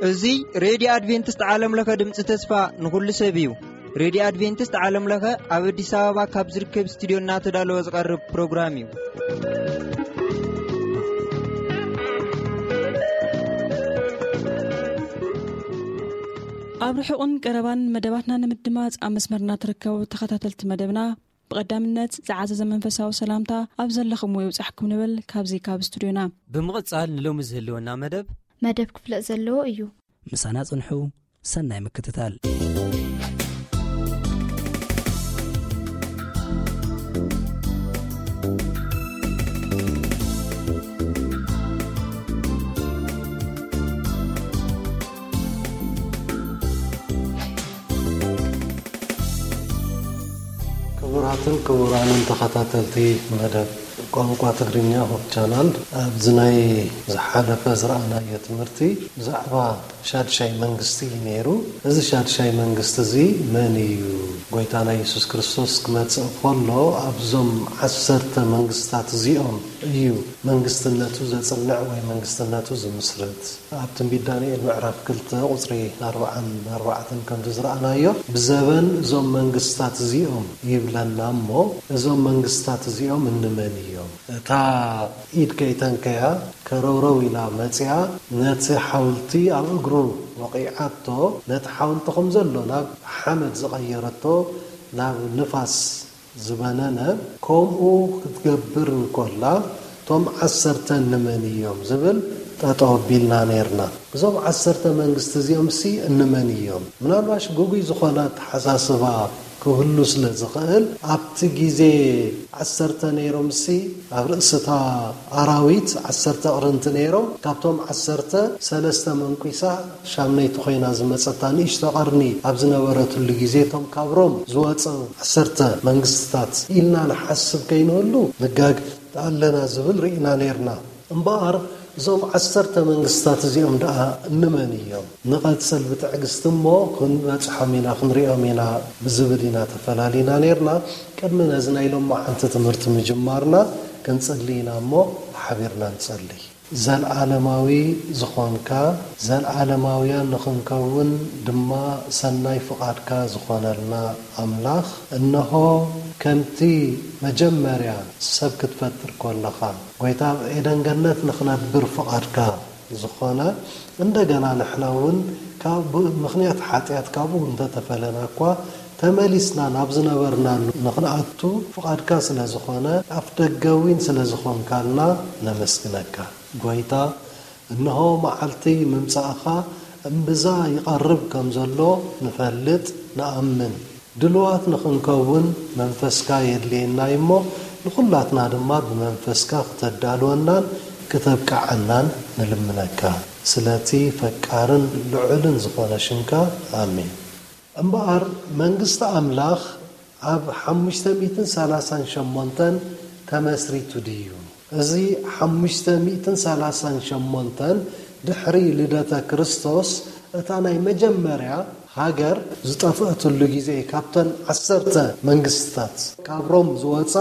እዚ ሬድዮ ኣድቬንቲስት ዓለም ለኸ ድምፂ ተስፋ ንኹሉ ሰብ እዩ። ሬድዮ ኣድቬንቲስት ዓለም ለኸ ኣብ ኣዲስ ኣበባ ካብ ዝርከብ ስቱዲዮ እናተዳለወ ዝቐርብ ፕሮግራም እዩ። ኣብ ርሑቕን ቀረባን መደባትና ንምድማፅ ኣብ መስመርና ትርከቡ ተኸታተልቲ መደብና፣ ብቐዳምነት ዝዓዘዘ መንፈሳዊ ሰላምታ ኣብ ዘለኹምዎ ይብጻሕኩም ንብል ካብዚ ካብ ስቱድዮና። ብምቕጻል ንሎሚ ዝህልወና መደብ መደብ ክፍለጥ ዘለዎ እዩ። ምሳና ጽንሑ። ሰናይ ምክትታል። ክቡራትን ክቡራንን ተኸታተልቲ መደብ ቋንቋ ትግርኛ ሆፕ ቻናል፣ ኣብዚ ናይ ዝሓለፈ ዝረኣናዮ ትምህርቲ ብዛዕባ ሻድሻይ መንግስቲ እዩ ነይሩ። እዚ ሻድሻይ መንግስቲ እዚ መን እዩ? ጎይታና የሱስ ክርስቶስ ክመጽእ ከሎ ኣብዞም ዓሰርተ መንግስታት እዚኦም እዩ መንግስትነቱ ዘጽንዕ ወይ መንግስትነቱ ዝምስርት። ኣብ ትንቢት ዳንኤል ምዕራፍ ክልተ ቁጽሪ ኣርብዓን ኣርባዕተን ከምዚ ዝረኣናዮ፣ ብዘበን እዞም መንግስታት እዚኦም ይብለና እሞ፣ እዞም መንግስታት እዚኦም እንመን እዮም? እታ ኢድ ከይተንከያ ከረውረው ኢላ መጺኣ፣ ነቲ ሓውልቲ ኣብ እግሩ ወቒዓቶ፣ ነቲ ሓውልቲ ከም ዘሎ ናብ ሓመድ ዝቐየረቶ፣ ናብ ንፋስ ዝበነነ፣ ከምኡ ክትገብር እንኮላ፣ እቶም ዓሰርተ እንመን እዮም ዝብል ጠጠው ኣቢልና ነይርና። እዞም ዓሰርተ መንግስቲ እዚኦምሲ እንመን እዮም? ምናልባሽ ግጉይ ዝኾነ ኣተሓሳስባ ክህሉ ስለ ዝኽእል፣ ኣብቲ ግዜ ዓሰርተ ነይሮምሲ፣ ኣብ ርእስታ ኣራዊት ዓሰርተ ኣቕርንቲ ነይሮም። ካብቶም ዓሰርተ፣ ሰለስተ መንኲሳ፣ ሻምነይቲ ኮይና ዝመጸታ ንእሽቶ ቀርኒ ኣብ ዝነበረትሉ ግዜ፣ እቶም ካብ ሮም ዝወጸ ዓሰርተ መንግስትታት ኢልና ንሓስብ ከይንህሉ፣ ንጋግ ኣለና ዝብል ርኢና ነይርና። እምበኣር፣ እዞም ዓሰርተ መንግስታት እዚኦም ደኣ እንመን እዮም? ንቐጽል ብትዕግስቲ እሞ፣ ክንበጽሖም ኢና፣ ክንሪኦም ኢና ብዝብል ኢና ተፈላሊና ነይርና። ቅድሚ ነዚ ናይ ሎማዓንቲ ትምህርቲ ምጅማርና፣ ክንጽሊ ኢና እሞ፣ ሓቢርና ንጸሊ። ዘልዓለማዊ ዝኾንካ፣ ዘልዓለማውያን ንኽንከውን ድማ ሰናይ ፍቓድካ ዝኾነልና ኣምላኽ፣ እንሆ፣ ከምቲ መጀመርያ ሰብ ክትፈጥር ከለኻ፣ ጐይታ፣ ኣብ ኤደን ገነት ንኽነብር ፍቓድካ ዝኾነ፣ እንደገና ንሕና እውን ካብ፣ ብምኽንያት ሓጢኣት ካብኡ እንተተፈለና እኳ፣ ተመሊስና ናብ ዝነበርናሉ ንኽንኣቱ ፍቓድካ ስለ ዝኾነ፣ ኣፍ ደገ እውን ስለ ዝኾንካልና ነመስግነካ። ጐይታ፣ እንሆ መዓልቲ ምምጻእኻ እምብዛ ይቐርብ ከም ዘሎ ንፈልጥ፣ ንኣምን። ድሉዋት ንኽንከውን መንፈስካ የድልየና እዩ እሞ፣ ንኹላትና ድማ ብመንፈስካ ክተዳልወናን ክተብቅዓናን ንልምነካ። ስለቲ ፈቃርን ልዑልን ዝኾነ ሽምካ፣ ኣሜን። እምበኣር፣ መንግስቲ ኣምላኽ ኣብ ሓሙሽተ ሚእትን ሰላሳን ሸሞንተን ተመስሪቱ ድዩ? እዚ ሓሙሽተ ሚእትን ሰላሳን ሸሞንተን ድሕሪ ልደተ ክርስቶስ፣ እታ ናይ መጀመርያ ሃገር ዝጠፍአትሉ ግዜ፣ ካብተን ዓሰርተ መንግስትታት፣ ካብ ሮም ዝወጻ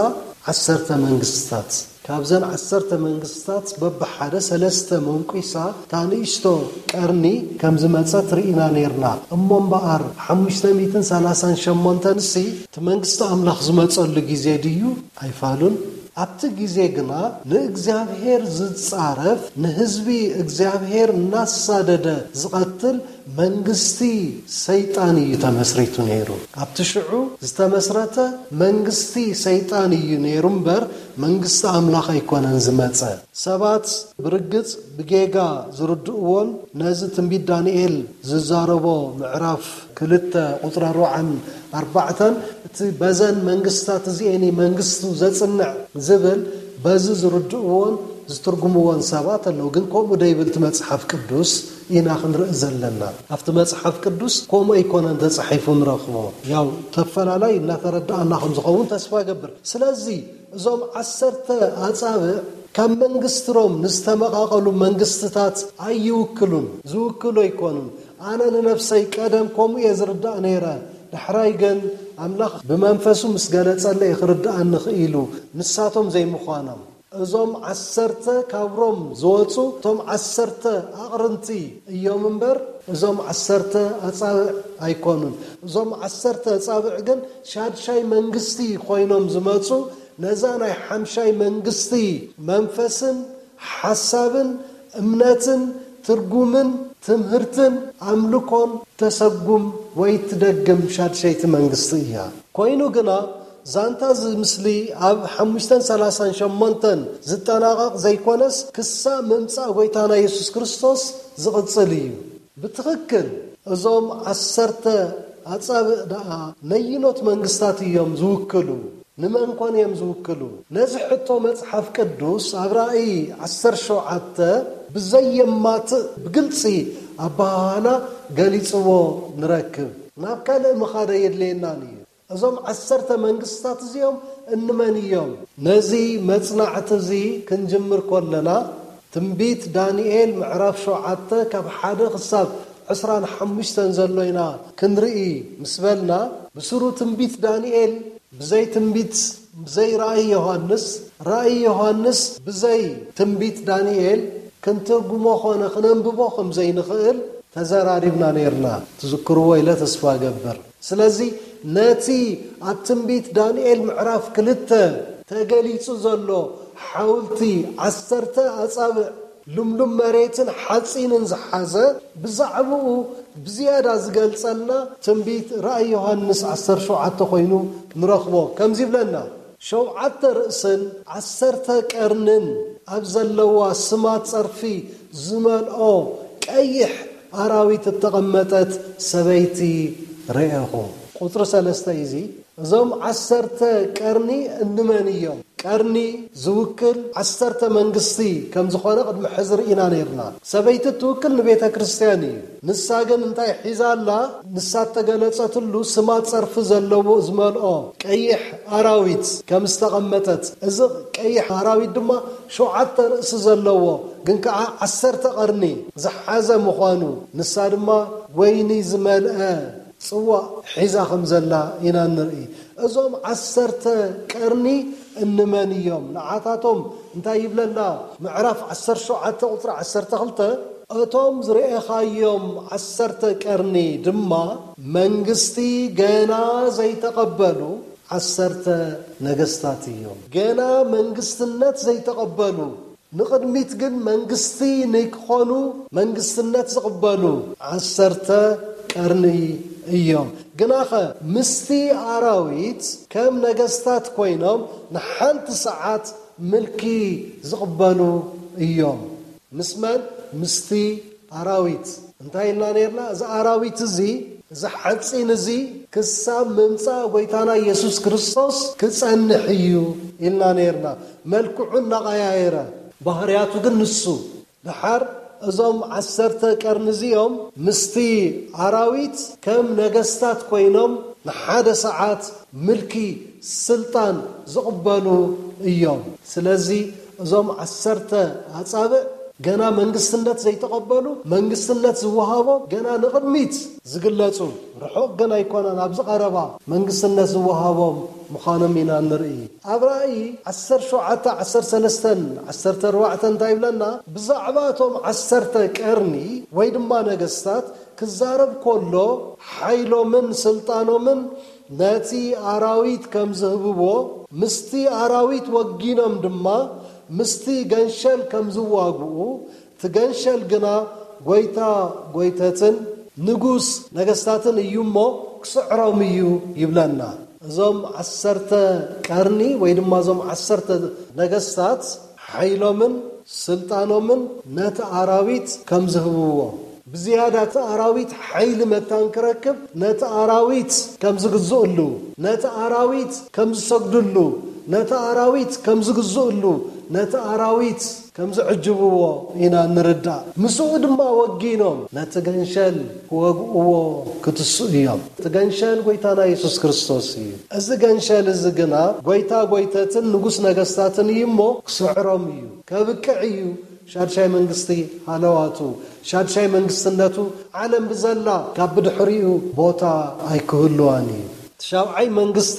ዓሰርተ መንግስትታት፣ ካብዘን ዓሰርተ መንግስትታት በብሓደ ሰለስተ መንቂሳ፣ እታ ንእሽቶ ቀርኒ ከም ዝመጸት ርኢና ነይርና። እሞ እምበኣር፣ ሓሙሽተ ሚእትን ሰላሳን ሸሞንተን ሲ፣ እቲ መንግስቲ ኣምላኽ ዝመጸሉ ግዜ ድዩ? ኣይፋሉን። ኣብቲ ግዜ ግና ንእግዚኣብሔር ዝጻረፍ፣ ንህዝቢ እግዚኣብሔር እናሳደደ ዝቐትል መንግስቲ ሰይጣን እዩ ተመስሪቱ ነይሩ። ኣብቲ ሽዑ ዝተመስረተ መንግስቲ ሰይጣን እዩ ነይሩ እምበር፣ መንግስቲ ኣምላኽ ኣይኮነን ዝመጸ። ሰባት ብርግጽ ብጌጋ ዝርድእዎን ነዚ ትንቢት ዳንኤል ዝዛረቦ ምዕራፍ ክልተ ቁጽሪ ኣርባዓን ኣርባዕተን፣ እቲ በዘን መንግስታት እዚኤን እዩ መንግስቱ ዘጽንዕ ዝብል፣ በዚ ዝርድእዎን ዝትርጉምዎን ሰባት ኣለዉ። ግን ከምኡ ደይብል እቲ መጽሓፍ ቅዱስ ኢና ክንርኢ ዘለና። ኣብቲ መጽሓፍ ቅዱስ ከምኡ ኣይኮነን ተጻሒፉ ንረኽቦ። ያው ተፈላላይ እናተረዳእና ከም ዝኸውን ተስፋ እገብር። ስለዚ እዞም ዓሰርተ ኣጻብዕ ካብ መንግስቲ ሮም ንዝተመቓቐሉ መንግስትታት ኣይውክሉን፣ ዝውክሉ ኣይኮኑን። ኣነ ንነፍሰይ ቀደም ከምኡ እየ ዝርዳእ ነይረ። ዳሕራይ ግን ኣምላኽ ብመንፈሱ ምስ ገለጸለይ ክርድኣኒ ክኢሉ፣ ንሳቶም ዘይምዃኖም። እዞም ዓሰርተ ካብ ሮም ዝወጹ፣ እቶም ዓሰርተ ኣቕርንቲ እዮም እምበር፣ እዞም ዓሰርተ ኣጻብዕ ኣይኮኑን። እዞም ዓሰርተ ኣጻብዕ ግን ሻድሻይ መንግስቲ ኮይኖም ዝመጹ፣ ነዛ ናይ ሓምሻይ መንግስቲ መንፈስን ሓሳብን እምነትን ትርጉምን ትምህርትን ኣምልኮን ተሰጉም ወይ ትደግም ሻድሸይቲ መንግስቲ እያ። ኮይኑ ግና፣ ዛንታ እዚ ምስሊ ኣብ ሓሙሽተን ሰላሳን ሸሞንተን ዝጠናቐቕ ዘይኮነስ፣ ክሳብ ምምጻእ ጎይታና የሱስ ክርስቶስ ዝቕጽል እዩ። ብትኽክል እዞም ዓሰርተ ኣጻብእ ደኣ ነይኖት መንግስታት እዮም ዝውክሉ? ንመን ኮን እዮም ዝውክሉ? ነዚ ሕቶ መጽሓፍ ቅዱስ ኣብ ራእይ ዓሰርተ ሸውዓተ ብዘየማትእ ብግልጺ ኣበሃህላ ገሊጽዎ ንረክብ። ናብ ካልእ ምኻድ ኣየድልየናን እዩ። እዞም ዓሰርተ መንግስታት እዚኦም እንመን እዮም? ነዚ መጽናዕቲ እዚ ክንጅምር ከለና፣ ትንቢት ዳንኤል ምዕራፍ ሸውዓተ ካብ ሓደ ክሳብ ዕስራን ሓሙሽተን ዘሎ ኢና ክንርኢ ምስ በልና፣ ብስሩ ትንቢት ዳንኤል ብዘይ ትንቢት፣ ብዘይ ራእይ ዮሃንስ፣ ራእይ ዮሃንስ ብዘይ ትንቢት ዳንኤል ክንትርጉሞ ኾነ ክነንብቦ ከም ዘይንኽእል ተዘራሪብና ነይርና። ትዝክርዎ ኢለ ተስፋ እገብር። ስለዚ ነቲ ኣብ ትንቢት ዳንኤል ምዕራፍ ክልተ ተገሊጹ ዘሎ ሓውልቲ ዓሰርተ ኣጻብዕ ልምሉም መሬትን ሓጺንን ዝሓዘ፣ ብዛዕባኡ ብዝያዳ ዝገልጸልና ትንቢት ራእይ ዮሃንስ ዓሰርተ ሸውዓተ ኮይኑ ንረኽቦ። ከምዚ ይብለና፣ ሸውዓተ ርእስን ዓሰርተ ቀርንን ኣብ ዘለዋ ስማት ጸርፊ ዝመልኦ ቀይሕ ኣራዊት እተቐመጠት ሰበይቲ ርኤኹ። ቁጽሪ ሰለስተ እዩ እዚ። እዞም ዓሰርተ ቀርኒ እንመን እዮም? ቀርኒ ዝውክል ዓሰርተ መንግስቲ ከም ዝኾነ ቅድሚ ሕዚ ርኢና ነይርና። ሰበይቲ እትውክል ንቤተ ክርስቲያን እዩ። ንሳ ግን እንታይ ሒዛ ኣላ? ንሳ እተገለጸትሉ ስማ ጸርፊ ዘለዎ ዝመልኦ ቀይሕ ኣራዊት ከም ዝተቐመጠት፣ እዚ ቀይሕ ኣራዊት ድማ ሸውዓተ ርእሲ ዘለዎ፣ ግን ከኣ ዓሰርተ ቀርኒ ዝሓዘ ምዃኑ፣ ንሳ ድማ ወይኒ ዝመልአ ጽዋእ ሒዛ ከም ዘላ ኢና ንርኢ። እዞም ዓሰርተ ቀርኒ እንመን እዮም? ንዓታቶም እንታይ ይብለና? ምዕራፍ ዓሰርተ ሸውዓተ ቁጽሪ ዓሰርተ ክልተ፣ "እቶም ዝረኤኻዮም ዓሰርተ ቀርኒ ድማ መንግስቲ ገና ዘይተቐበሉ ዓሰርተ ነገስታት እዮም።" ገና መንግስትነት ዘይተቐበሉ፣ ንቕድሚት ግን መንግስቲ ንክኾኑ መንግስትነት ዝቕበሉ ዓሰርተ ቀርኒ እዮም። ግናኸ ምስቲ ኣራዊት ከም ነገስታት ኮይኖም ንሓንቲ ሰዓት ምልኪ ዝቕበሉ እዮም። ምስ መን? ምስቲ ኣራዊት። እንታይ ኢልና ነይርና? እዚ ኣራዊት እዚ፣ እዚ ሓጺን እዚ ክሳብ ምምጻእ ጎይታና ኢየሱስ ክርስቶስ ክጸንሕ እዩ ኢልና ነይርና። መልክዑ እናቐያየረ፣ ባህርያቱ ግን ንሱ። ደሓር እዞም ዓሰርተ ቀርኒ እዚኦም ምስቲ ኣራዊት ከም ነገስታት ኮይኖም ንሓደ ሰዓት ምልኪ፣ ስልጣን ዝቕበሉ እዮም። ስለዚ እዞም ዓሰርተ ኣጻብዕ ገና መንግስትነት ዘይተቐበሉ፣ መንግስትነት ዝወሃቦም ገና ንቕድሚት ዝግለጹ፣ ርሑቕ ግን ኣይኮነን፣ ኣብዚ ቀረባ መንግስትነት ዝወሃቦም ምዃኖም ኢና ንርኢ። ኣብ ራእይ ዓሰርተ ሸውዓተ፣ ዓሰርተ ሰለስተን ዓሰርተ ኣርባዕተን እንታይ ይብለና? ብዛዕባ እቶም ዓሰርተ ቀርኒ ወይ ድማ ነገስታት ክዛረብ ከሎ፣ ሓይሎምን ስልጣኖምን ነቲ ኣራዊት ከም ዝህብዎ፣ ምስቲ ኣራዊት ወጊኖም ድማ ምስቲ ገንሸል ከም ዝዋግኡ፣ እቲ ገንሸል ግና ጎይታ ጎይተትን ንጉስ ነገስታትን እዩ እሞ፣ ክስዕሮም እዩ ይብለና። እዞም ዓሰርተ ቀርኒ ወይ ድማ እዞም ዓሰርተ ነገስታት ሓይሎምን ስልጣኖምን ነቲ ኣራዊት ከም ዝህብዎ፣ ብዝያዳ እቲ ኣራዊት ሓይሊ መታን ክረክብ፣ ነቲ ኣራዊት ከም ዝግዝእሉ፣ ነቲ ኣራዊት ከም ዝሰግድሉ፣ ነቲ ኣራዊት ከም ዝግዝእሉ፣ ነቲ ኣራዊት ከም ዝዕጅብዎ ኢና ንርዳእ። ምስኡ ድማ ወጊኖም ነቲ ገንሸል ክወግእዎ ክትስኡ እዮም። እቲ ገንሸል ጎይታና የሱስ ክርስቶስ እዩ። እዚ ገንሸል እዚ ግና ጎይታ ጎይተትን ንጉስ ነገስታትን እዩ እሞ፣ ክስዕሮም እዩ። ከብቅዕ እዩ ሻድሻይ መንግስቲ ሃለዋቱ። ሻድሻይ መንግስትነቱ፣ ዓለም ብዘላ ካብ ብድሕሪኡ ቦታ ኣይክህልዋን እዩ። ሻብዓይ መንግስቲ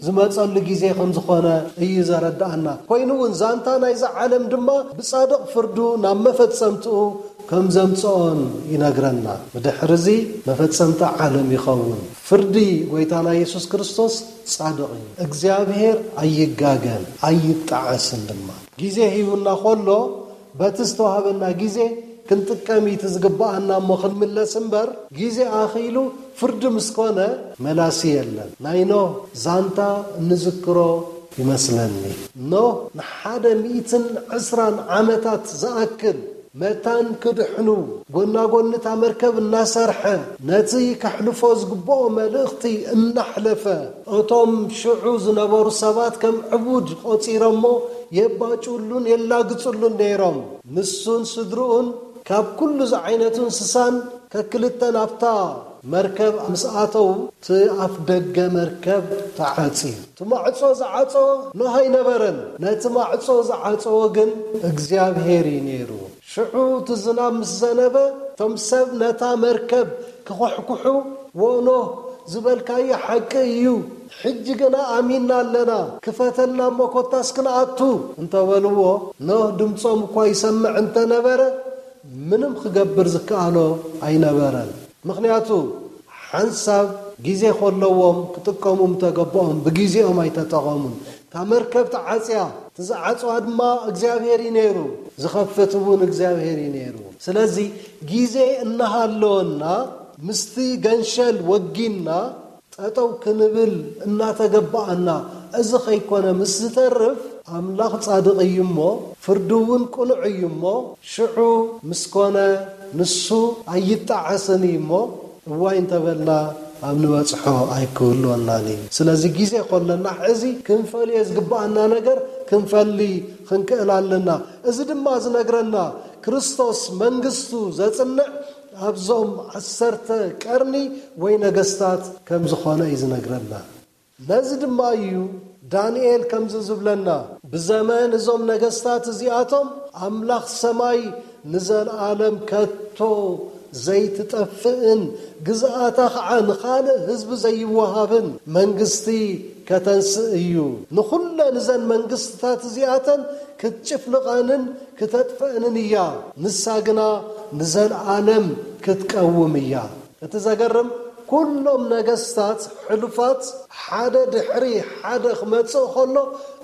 ዝመጸሉ ግዜ ከም ዝኾነ እዩ ዘረዳእና። ኮይኑ እውን ዛንታ ናይዛ ዓለም ድማ ብጻድቕ ፍርዱ ናብ መፈጸምትኡ ከም ዘምጽኦን ይነግረና። ብድሕርዚ መፈጸምታ ዓለም ይኸውን። ፍርዲ ጎይታና የሱስ ክርስቶስ ጻድቕ እዩ። እግዚኣብሔር ኣይጋገን፣ ኣይጣዓስን ድማ። ግዜ ሂቡና ከሎ በቲ ዝተዋህበና ግዜ ክንጥቀም እዩ እቲ ዝግብኣና እሞ ክንምለስ እምበር፣ ግዜ ኣኺሉ ፍርዲ ምስ ኮነ መላሲ የለን። ናይ ኖህ ዛንታ እንዝክሮ ይመስለኒ። ኖህ ንሓደ ሚእትን ዕስራን ዓመታት ዝኣክል መታን ክድሕኑ ጎናጎኒ እታ መርከብ እናሰርሐ፣ ነቲ ከሕልፎ ዝግብኦ መልእኽቲ እናሕለፈ፣ እቶም ሽዑ ዝነበሩ ሰባት ከም ዕቡድ ቆጺሮሞ፣ የባጭውሉን የላግጽሉን ነይሮም። ንሱን ስድርኡን ካብ ኩሉ ዝዓይነቱ እንስሳን ከክልተ ናብታ መርከብ ምስ ኣተዉ፣ እቲ ኣፍ ደገ መርከብ ተዓጽዩ። እቲ ማዕጾ ዝዓጸወ ኖህ ኣይነበረን። ነቲ ማዕጾ ዝዓጸወ ግን እግዚኣብሔር እዩ ነይሩ። ሽዑ እቲ ዝናብ ምስ ዘነበ፣ እቶም ሰብ ነታ መርከብ ክኹሕኩሑ፣ "ዎ ኖህ፣ ዝበልካዮ ሓቂ እዩ። ሕጂ ግና ኣሚንና ኣለና። ክፈተልና እሞ ኮታስ ክንኣቱ" እንተበልዎ፣ ኖህ ድምጾም እኳ ይሰምዕ እንተነበረ፣ ምንም ክገብር ዝከኣሎ ኣይነበረን። ምኽንያቱ፣ ሓንሳብ ግዜ ከለዎም ክጥቀሙ ምተገበኦም፣ ብግዜኦም ኣይተጠቐሙን። እታ መርከብ ተዓጽያ፣ እቲ ዝዓጽዋ ድማ እግዚኣብሔር እዩ ነይሩ፣ ዝኸፍት እውን እግዚኣብሔር እዩ ነይሩ። ስለዚ፣ ግዜ እናሃለወና፣ ምስቲ ገንሸል ወጊንና፣ ጠጠው ክንብል እናተገባኣና፣ እዚ ከይኮነ ምስ ዝተርፍ፣ ኣምላኽ ጻድቕ እዩ እሞ፣ ፍርዱ እውን ቅኑዕ እዩ እሞ፣ ሽዑ ምስ ኮነ፣ ንሱ ኣይጣዓስን እዩ እሞ፣ እዋይ እንተበልና፣ ኣብ ንበጽሖ ኣይክህልወናን እዩ። ስለዚ ግዜ ከለና፣ ሕዚ ክንፈልዮ ዝግብኣና ነገር ክንፈሊ ክንክእል ኣለና። እዚ ድማ ዝነግረና፣ ክርስቶስ መንግስቱ ዘጽንዕ ኣብዞም ዓሰርተ ቀርኒ ወይ ነገስታት ከም ዝኾነ እዩ ዝነግረና። ነዚ ድማ እዩ ዳንኤል ከምዚ ዝብለና፣ "ብዘመን እዞም ነገስታት እዚኣቶም ኣምላኽ ሰማይ ንዘለኣለም ከቶ ዘይትጠፍእን ግዝኣታ ኸዓ ንኻልእ ህዝቢ ዘይወሃብን መንግስቲ ከተንስእ እዩ። ንኹለን እዘን መንግስትታት እዚኣተን ክትጭፍልቐንን ክተጥፍአንን እያ። ንሳ ግና ንዘለኣለም ክትቀውም እያ።" እቲ ዘገርም፣ ኩሎም ነገስታት ሕሉፋት ሓደ ድሕሪ ሓደ ክመጽእ ከሎ፣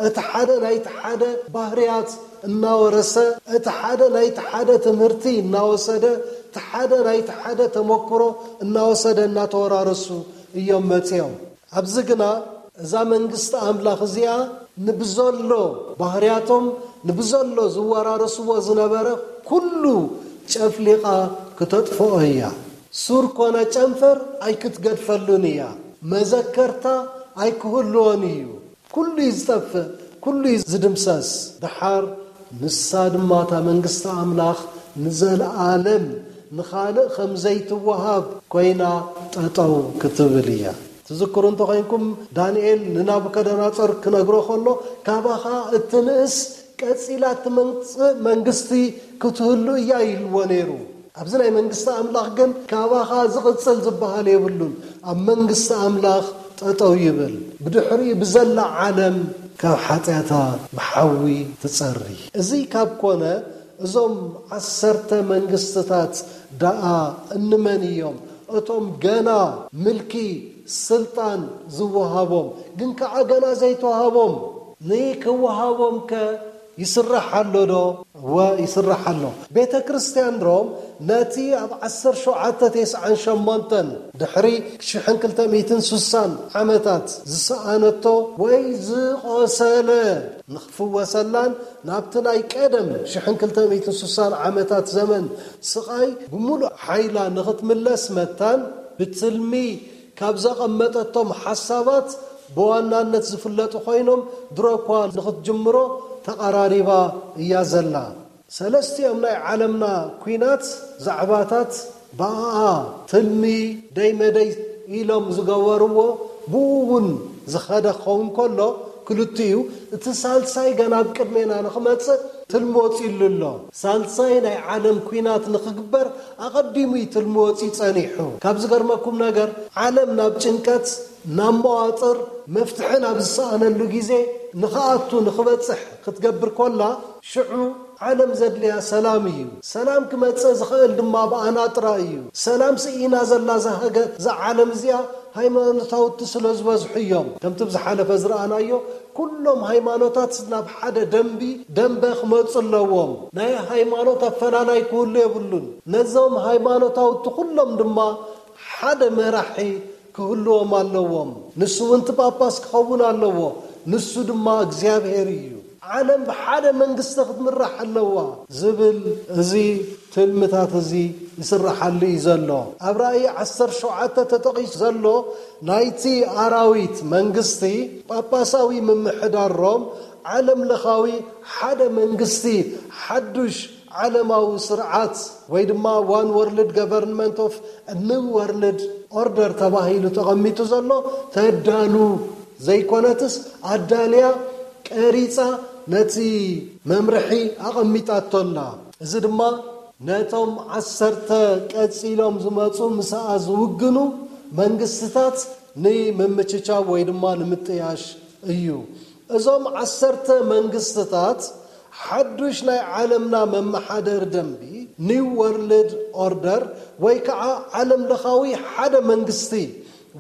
እቲ ሓደ ናይቲ ሓደ ባህርያት እናወረሰ፣ እቲ ሓደ ናይቲ ሓደ ትምህርቲ እናወሰደ፣ እቲ ሓደ ናይቲ ሓደ ተመክሮ እናወሰደ፣ እናተወራረሱ እዮም መጺኦም። ኣብዚ ግና እዛ መንግስቲ ኣምላኽ እዚኣ ንብዘሎ ባህርያቶም፣ ንብዘሎ ዝወራረስዎ ዝነበረ ኩሉ ጨፍሊቓ ክተጥፍኦ እያ። ሱር ኮነ ጨንፈር ኣይክትገድፈሉን እያ። መዘከርታ ኣይክህልዎን እዩ። ኩሉ እዩ ዝጠፍእ፣ ኩሉ እዩ ዝድምሰስ። ደሓር ንሳ ድማ፣ እታ መንግስቲ ኣምላኽ፣ ንዘለኣለም ንኻልእ ከም ዘይትወሃብ ኮይና ጠጠው ክትብል እያ። ትዝክሩ እንተኾይንኩም፣ ዳንኤል ንናቡከደነጾር ክነግሮ ከሎ፣ "ካባኻ እትንእስ ቀጺላ እትመጽእ መንግስቲ ክትህሉ እያ" ኢልዎ ነይሩ። ኣብዚ ናይ መንግስቲ ኣምላኽ ግን፣ "ካባኻ ዝቕጽል ዝበሃል የብሉን፣ ኣብ መንግስቲ ኣምላኽ ጠጠው ይብል፣ ብድሕሪኡ ብዘላ ዓለም ካብ ሓጢኣታ ብሓዊ ትጸሪ።" እዚ ካብ ኮነ፣ እዞም ዓሰርተ መንግስትታት ደኣ እንመን እዮም? እቶም ገና ምልኪ ስልጣን ዝወሃቦም፣ ግን ከኣ ገና ዘይተዋሃቦም፣ ንክወሃቦም ከ ይስራሕ ኣሎ ዶ? እወ፣ ይስራሕ ኣሎ። ቤተ ክርስቲያን ሮም ነቲ ኣብ ዓሰርተ ሸውዓተ ተስዓን ሸሞንተን ድሕሪ ሽሕን ክልተ ሚእትን ስሳን ዓመታት ዝሰኣነቶ ወይ ዝቖሰለ ንኽትፍወሰላን ናብቲ ናይ ቀደም ሽሕን ክልተ ሚእትን ስሳን ዓመታት ዘመን ስቓይ ብምሉእ ሓይላ ንኽትምለስ መታን ብትልሚ ካብ ዘቐመጠቶም ሓሳባት ብዋናነት ዝፍለጡ ኮይኖም፣ ድሮ እኳ ንኽትጅምሮ ተቐራሪባ እያ ዘላ። ሰለስቲኦም ናይ ዓለምና ኲናት ዛዕባታት ብኣኣ ትልሚ ደይ መደይ ኢሎም ዝገበርዎ፣ ብኡ እውን ዝኸደ ክኸውን ከሎ፣ ክልቲኡ እቲ ሳልሳይ ገና ኣብ ቅድሜና ንኽመጽእ ትልሚ ወጺሉ ኣሎ። ሳልሳይ ናይ ዓለም ኲናት ንኽግበር ኣቐዲሙ እዩ ትልሚ ወጺኡ ጸኒሑ። ካብ ዝገርመኩም ነገር፣ ዓለም ናብ ጭንቀት ናብ መዋጥር መፍትሒ ናብ ዝሰኣነሉ ግዜ ንኽኣቱ ንኽበጽሕ ክትገብር ኮላ፣ ሽዑ ዓለም ዘድልያ ሰላም እዩ። ሰላም ክመጽእ ዝኽእል ድማ ብኣና ጥራይ እዩ። ሰላም ስኢና ዘላ እዛ ሃገር፣ እዛ ዓለም እዚኣ፣ ሃይማኖታውቲ ስለ ዝበዝሑ እዮም። ከምቲ ብዝሓለፈ ዝረኣናዮ፣ ኩሎም ሃይማኖታት ናብ ሓደ ደንቢ ደንበ ክመጹ ኣለዎም። ናይ ሃይማኖት ኣፈላላይ ክህሉ የብሉን። ነዞም ሃይማኖታውቲ ኩሎም ድማ ሓደ መራሒ ክህልዎም ኣለዎም። ንሱ እውን እቲ ጳጳስ ክኸውን ኣለዎ። ንሱ ድማ እግዚኣብሔር እዩ። ዓለም ብሓደ መንግስቲ ክትምራሕ ኣለዋ ዝብል እዚ ትልምታት እዚ ይስራሓሉ እዩ ዘሎ። ኣብ ራእይ ዓሰርተ ሸውዓተ ተጠቒሱ ዘሎ ናይቲ ኣራዊት መንግስቲ ጳጳሳዊ ምምሕዳሮም ዓለም ለኻዊ ሓደ መንግስቲ ሓዱሽ ዓለማዊ ስርዓት ወይ ድማ ዋን ወርልድ ገቨርንመንት ኦፍ ኒው ወርልድ ኦርደር ተባሂሉ ተቐሚጡ ዘሎ ተዳሉ ዘይኮነትስ ኣዳልያ ቀሪጻ ነቲ መምርሒ ኣቐሚጣቶ ኣላ። እዚ ድማ ነቶም ዓሰርተ ቀጺሎም ዝመጹ ምስኣ ዝውግኑ መንግስትታት ንምምችቻው ወይ ድማ ንምጥያሽ እዩ። እዞም ዓሰርተ መንግስትታት ሓዱሽ ናይ ዓለምና መመሓደሪ ደንቢ ኒው ወርልድ ኦርደር ወይ ከዓ ዓለም ለኻዊ ሓደ መንግስቲ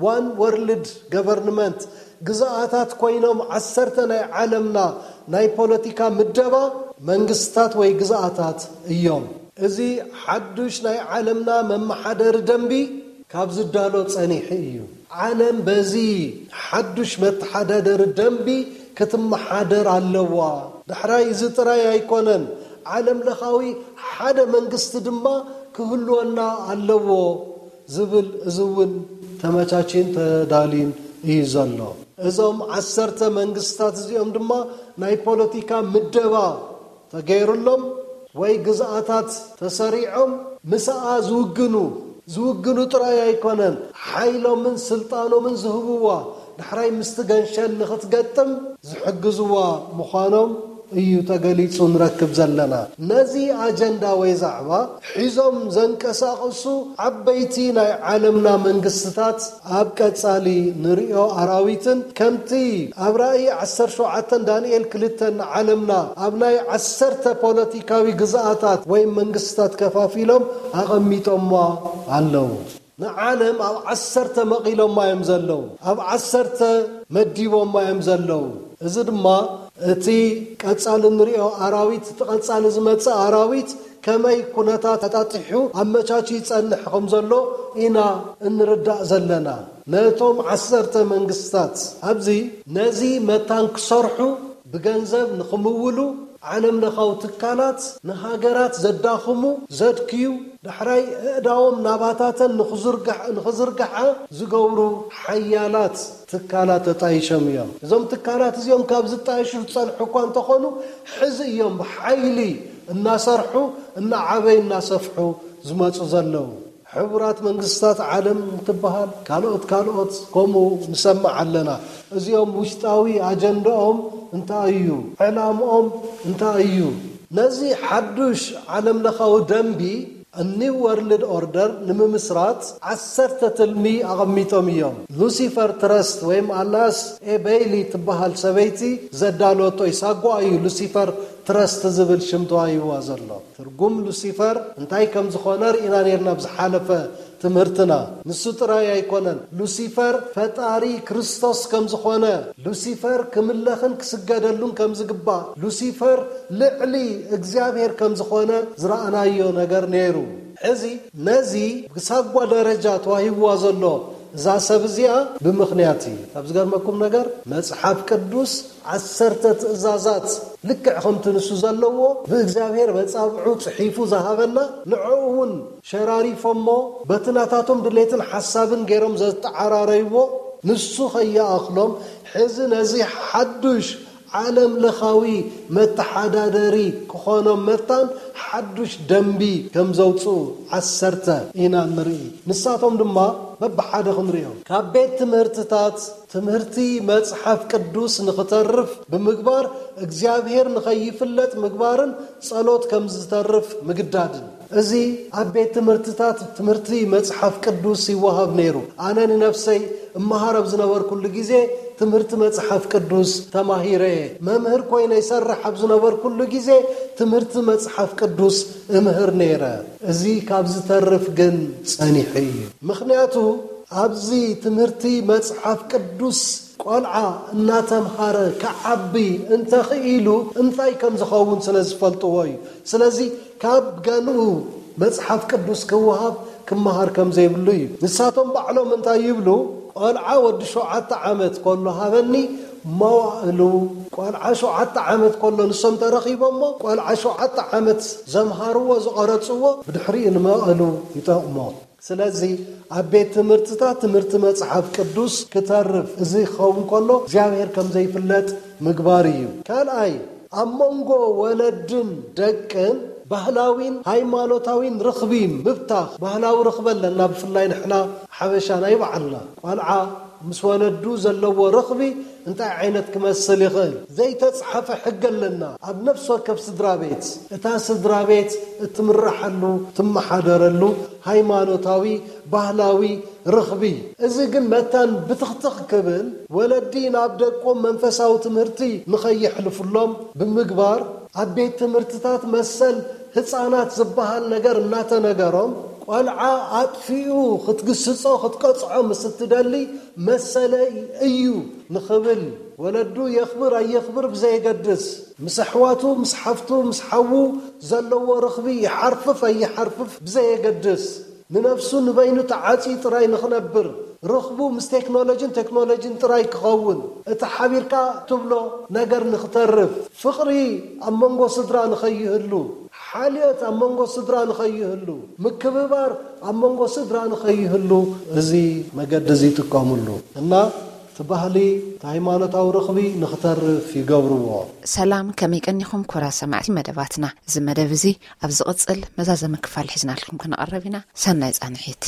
ዋን ወርልድ ገቨርንመንት ግዝኣታት ኮይኖም ዓሰርተ ናይ ዓለምና ናይ ፖለቲካ ምደባ መንግስታት ወይ ግዝኣታት እዮም። እዚ ሓዱሽ ናይ ዓለምና መመሓደሪ ደንቢ ካብ ዝዳሎ ጸኒሑ እዩ። ዓለም በዚ ሓዱሽ መተሓዳደሪ ደንቢ ክትመሓደር ኣለዋ። ዳሕራይ እዚ ጥራይ ኣይኮነን፣ ዓለም ለኻዊ ሓደ መንግስቲ ድማ ክህልወና ኣለዎ ዝብል እዚ እውን ተመቻችን ተዳልዩን እዩ ዘሎ። እዞም ዓሰርተ መንግስታት እዚኦም ድማ ናይ ፖለቲካ ምደባ ተገይሩሎም ወይ ግዝኣታት ተሰሪዖም ምስኣ ዝውግኑ ዝውግኑ ጥራይ ኣይኮነን፣ ሓይሎምን ስልጣኖምን ዝህብዋ ዳሕራይ ምስቲ ገንሸል ንኽትገጥም ዝሕግዝዋ ምዃኖም እዩ ተገሊጹ ንረክብ ዘለና። ነዚ ኣጀንዳ ወይ ዛዕባ ሒዞም ዘንቀሳቕሱ ዓበይቲ ናይ ዓለምና መንግስትታት ኣብ ቀጻሊ ንርእዮ ኣራዊትን ከምቲ ኣብ ራእይ ዓሰርተ ሸውዓተ ዳንኤል ክልተ ንዓለምና ኣብ ናይ ዓሰርተ ፖለቲካዊ ግዝኣታት ወይ መንግስታት ከፋፊሎም ኣቐሚጦማ ኣለዉ። ንዓለም ኣብ ዓሰርተ መቒሎማ እዮም ዘለዉ። ኣብ ዓሰርተ መዲቦማ እዮም ዘለዉ። እዚ ድማ እቲ ቀጻሊ ንርእዮ ኣራዊት፣ እቲ ቀጻሊ ዝመጽእ ኣራዊት ከመይ ኩነታት ኣጣጢሑ ኣመቻች ይጸንሕ ከም ዘሎ ኢና እንርዳእ ዘለና። ነቶም ዓሰርተ መንግስታት ኣብዚ ነዚ መታን ክሰርሑ ብገንዘብ ንኽምውሉ ዓለም ለኻዊ ትካላት ንሃገራት ዘዳኽሙ፣ ዘድክዩ፣ ዳሕራይ ኣእዳዎም ናባታተን ንኽዝርግሕ-፣ ንኽዝርግሓ ዝገብሩ ሓያላት ትካላት ተጣይሾም እዮም። እዞም ትካላት እዚኦም ካብ ዝጣይሹ ዝጸንሑ እኳ እንተኾኑ፣ ሕዚ እዮም ብሓይሊ እናሰርሑ፣ እናዓበዩ፣ እናሰፍሑ ዝመጹ ዘለዉ። ሕቡራት መንግስታት ዓለም እንትበሃል፣ ካልኦት ካልኦት ከምኡ ንሰምዕ ኣለና። እዚኦም ውሽጣዊ ኣጀንዳኦም እንታይ እዩ? ዕላምኦም እንታይ እዩ? ነዚ ሓዱሽ ዓለም ለኻዊ ደንቢ ኒው ወርልድ ኦርደር ንምምስራት ዓሰርተ ትልሚ ኣቐሚጦም እዮም። ሉሲፈር ትረስት ወይም ኣናስ ኤ በይሊ ትበሃል ሰበይቲ ዘዳለወቶ እዩ። ሳጓ እዩ ሉሲፈር ትረስት ዝብል ሽም ተዋሂብዋ ዘሎ። ትርጉም ሉሲፈር እንታይ ከም ዝኾነ ርኢና ነርና ኣብ ዝሓለፈ ትምህርትና። ንሱ ጥራይ ኣይኮነን። ሉሲፈር ፈጣሪ ክርስቶስ ከም ዝኾነ፣ ሉሲፈር ክምለኽን ክስገደሉን ከም ዝግባእ፣ ሉሲፈር ልዕሊ እግዚኣብሔር ከም ዝኾነ ዝረኣናዮ ነገር ነይሩ። ሕዚ ነዚ ብሳጓ ደረጃ ተዋሂብዋ ዘሎ እዛ ሰብ እዚኣ ብምኽንያት እዩ። ካብ ዝገርመኩም ነገር መጽሓፍ ቅዱስ ዓሰርተ ትእዛዛት ልክዕ ከምቲ ንሱ ዘለዎ ብእግዚኣብሔር መጻብዑ ጽሒፉ ዝሃበና፣ ንዕኡ እውን ሸራሪፎሞ በቲ ናታቶም ድሌትን ሓሳብን ገይሮም ዘተዓራረይዎ ንሱ ከይኣኽሎም፣ ሕዚ ነዚ ሓዱሽ ዓለም ለኻዊ መተሓዳደሪ ክኾኖም መታን ሓዱሽ ደንቢ ከም ዘውፅኡ ዓሰርተ ኢና ንርኢ። ንሳቶም ድማ በብሓደ ክንሪኦም። ካብ ቤት ትምህርትታት ትምህርቲ መጽሓፍ ቅዱስ ንኽተርፍ ብምግባር፣ እግዚኣብሔር ንኸይፍለጥ ምግባርን ጸሎት ከም ዝተርፍ ምግዳድን። እዚ ኣብ ቤት ትምህርትታት ትምህርቲ መጽሓፍ ቅዱስ ይወሃብ ነይሩ። ኣነ ንነፍሰይ እመሃር ኣብ ዝነበርኩሉ ግዜ ትምህርቲ መጽሓፍ ቅዱስ ተማሂረ እየ። መምህር ኮይነ ይሰርሕ ኣብ ዝነበርኩሉ ግዜ ትምህርቲ መጽሓፍ ቅዱስ እምህር ነይረ። እዚ ካብ ዝተርፍ ግን ጸኒሑ እዩ። ምኽንያቱ ኣብዚ ትምህርቲ መጽሓፍ ቅዱስ ቆልዓ እናተምሃረ ክዓቢ እንተኽኢሉ እንታይ ከም ዝኸውን ስለ ዝፈልጥዎ እዩ። ስለዚ ካብ ገንኡ መጽሓፍ ቅዱስ ክወሃብ ክመሃር ከም ዘይብሉ እዩ። ንሳቶም ባዕሎም እንታይ ይብሉ? ቆልዓ ወዲ ሸውዓተ ዓመት ከሎ ሃበኒ መዋእሉ። ቆልዓ ሸውዓተ ዓመት ከሎ ንሶም ተረኺቦሞ ቆልዓ ሸውዓተ ዓመት ዘምሃርዎ ዝቐረጽዎ ብድሕሪኡ ንመዋእሉ ይጠቕሞ። ስለዚ ኣብ ቤት ትምህርትታት ትምህርቲ መጽሓፍ ቅዱስ ክተርፍ፣ እዚ ክኸውን ከሎ እግዚኣብሔር ከም ዘይፍለጥ ምግባር እዩ። ካልኣይ፣ ኣብ መንጎ ወለድን ደቅን ባህላዊን ሃይማኖታዊን ርኽቢ ምብታኽ። ባህላዊ ርኽቢ ኣለና፣ ብፍላይ ንሕና ሓበሻ ናይ ባዕልና። ቆልዓ ምስ ወለዱ ዘለዎ ርኽቢ እንታይ ዓይነት ክመስል ይኽእል? ዘይተጽሓፈ ሕጊ ኣለና። ኣብ ነፍሲ ወከፍ ስድራ ቤት፣ እታ ስድራ ቤት እትምረሓሉ፣ ትመሓደረሉ ሃይማኖታዊ፣ ባህላዊ ርኽቢ። እዚ ግን መታን ብትኽትኽ ክብል፣ ወለዲ ናብ ደቆም መንፈሳዊ ትምህርቲ ንኸየሕልፉሎም ብምግባር፣ ኣብ ቤት ትምህርትታት መሰል ህፃናት ዝበሃል ነገር እናተነገሮም፣ ቆልዓ ኣጥፊኡ ክትግስጾ ክትቀጽዖ ምስ እትደሊ መሰለይ እዩ ንኽብል፣ ወለዱ የኽብር ኣየኽብር ብዘየገድስ፣ ምስ ኣሕዋቱ፣ ምስ ሓፍቱ፣ ምስ ሓዉ ዘለዎ ርኽቢ ይሓርፍፍ ኣይሓርፍፍ ብዘየገድስ፣ ንነፍሱ ንበይኑ ተዓጽዩ ጥራይ ንኽነብር፣ ርኽቡ ምስ ቴክኖሎጂን ቴክኖሎጂን ጥራይ ክኸውን፣ እቲ ሓቢርካ ትብሎ ነገር ንኽተርፍ፣ ፍቕሪ ኣብ መንጎ ስድራ ንኸይህሉ፣ ሓልዮት ኣብ መንጎ ስድራ ንኸይህሉ፣ ምክብባር ኣብ መንጎ ስድራ ንኸይህሉ፣ እዚ መገዲ እዚ ይጥቀምሉ እና እቲ ባህሊ፣ እቲ ሃይማኖታዊ ርኽቢ ንኽተርፍ ይገብርዎ። ሰላም፣ ከመይ ቀኒኹም ክቡራት ሰማዕቲ መደባትና? እዚ መደብ እዚ ኣብ ዝቕጽል መዛዘሚ ክፋል ሒዝናልኩም ክንቐርብ ኢና። ሰናይ ጻንሒት።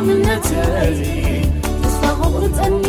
እምነተይ ተስፋ ክቑርጸኒ